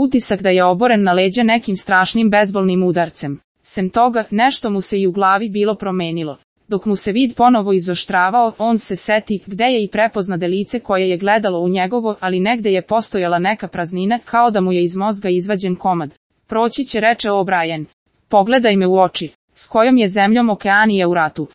Utisak da je oboren na leđa nekim strašnim bezbolnim udarcem. Sem toga, nešto mu se i u glavi bilo promenilo. Dok mu se vid ponovo izoštravao, on se seti gde je i prepoznade lice koje je gledalo u njegovo, ali negde je postojala neka praznina, kao da mu je iz mozga izvađen komad. Proći će, reče O'Brien. Pogledaj me u oči. S kojom je zemljom Okeanija u ratu?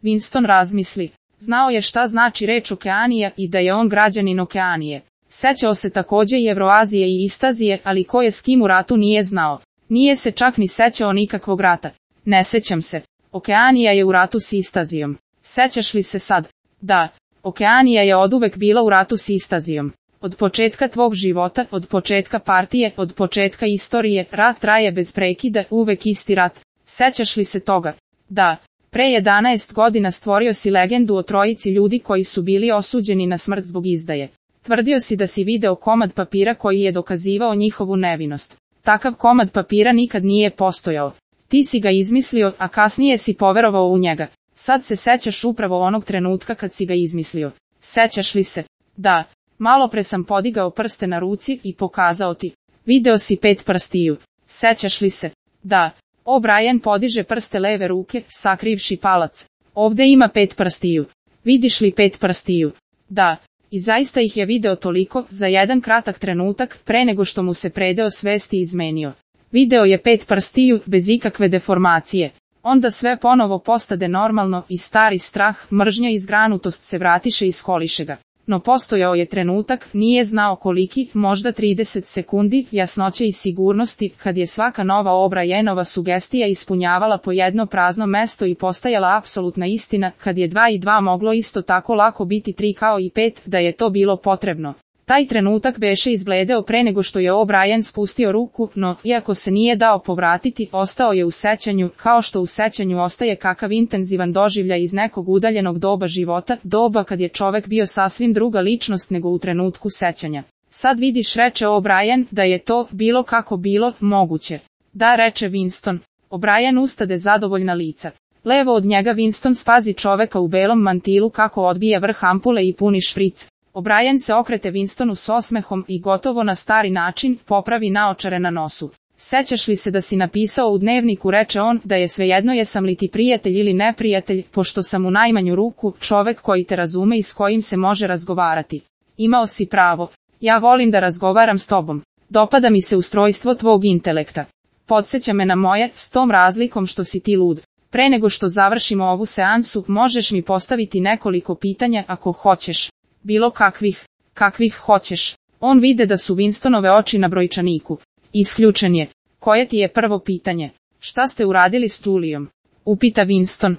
Winston razmisli. Znao je šta znači reč Okeanija i da je on građanin Okeanije. Sećao se takođe i Evroazije i Istazije, ali ko je s kim u ratu nije znao. Nije se čak ni sećao nikakvog rata. Ne sećam se. Okeanija je u ratu s Istazijom. Sećaš li se sad? Da. Okeanija je oduvek bila u ratu s Istazijom. Od početka tvog života, od početka partije, od početka istorije, rat traje bez prekida, uvek isti rat. Sećaš li se toga? Da. Pre 11 godina stvorio si legendu o trojici ljudi koji su bili osuđeni na smrt zbog izdaje. Tvrdio si da si video komad papira koji je dokazivao njihovu nevinost. Takav komad papira nikad nije postojao. Ti si ga izmislio, a kasnije si poverovao u njega. Sad se sećaš upravo onog trenutka kad si ga izmislio. Sećaš li se? Da. Malo pre sam podigao prste na ruci i pokazao ti. Video si 5 prstiju. Sećaš li se? Da. O'Brien podiže prste leve ruke, sakrivši palac. Ovde ima 5 prstiju. Vidiš li 5 prstiju? Da. I zaista ih je video toliko, za jedan kratak trenutak, pre nego što mu se predeo svesti izmenio. Video je 5 prstiju, bez ikakve deformacije. Onda sve ponovo postade normalno i stari strah, mržnja i zgranutost se vratiše i iskoliše ga. No postojao je trenutak, nije znao koliki, možda 30 sekundi, jasnoće i sigurnosti, kad je svaka nova O'Brienova sugestija ispunjavala po jedno prazno mesto i postajala apsolutna istina, kad je 2 i 2 moglo isto tako lako biti 3 kao i 5, da je to bilo potrebno. Taj trenutak beše izbledeo pre nego što je O'Brien spustio ruku, no, iako se nije dao povratiti, ostao je u sećanju, kao što u sećanju ostaje kakav intenzivan doživljaj iz nekog udaljenog doba života, doba kad je čovek bio sasvim druga ličnost nego u trenutku sećanja. Sad vidiš, reče O'Brien, da je to, bilo kako bilo, moguće. Da, reče Winston. O'Brien ustade zadovoljna lica. Levo od njega Winston spazi čoveka u belom mantilu kako odbija vrh ampule i puni špric. O'Brien se okrete Winstonu s osmehom i gotovo na stari način popravi naočare na nosu. Sećaš li se da si napisao u dnevniku, reče on, da je svejedno jesam li ti prijatelj ili neprijatelj, pošto sam u najmanju ruku čovek koji te razume i s kojim se može razgovarati. Imao si pravo. Ja volim da razgovaram s tobom. Dopada mi se ustrojstvo tvog intelekta. Podsjeća me na moje, s tom razlikom što si ti lud. Pre nego što završimo ovu seansu, možeš mi postaviti nekoliko pitanja ako hoćeš. Bilo kakvih hoćeš. On vide da su Winstonove oči na brojčaniku. Isključen je. Koje ti je prvo pitanje? Šta ste uradili s Julijom? Upita Winston.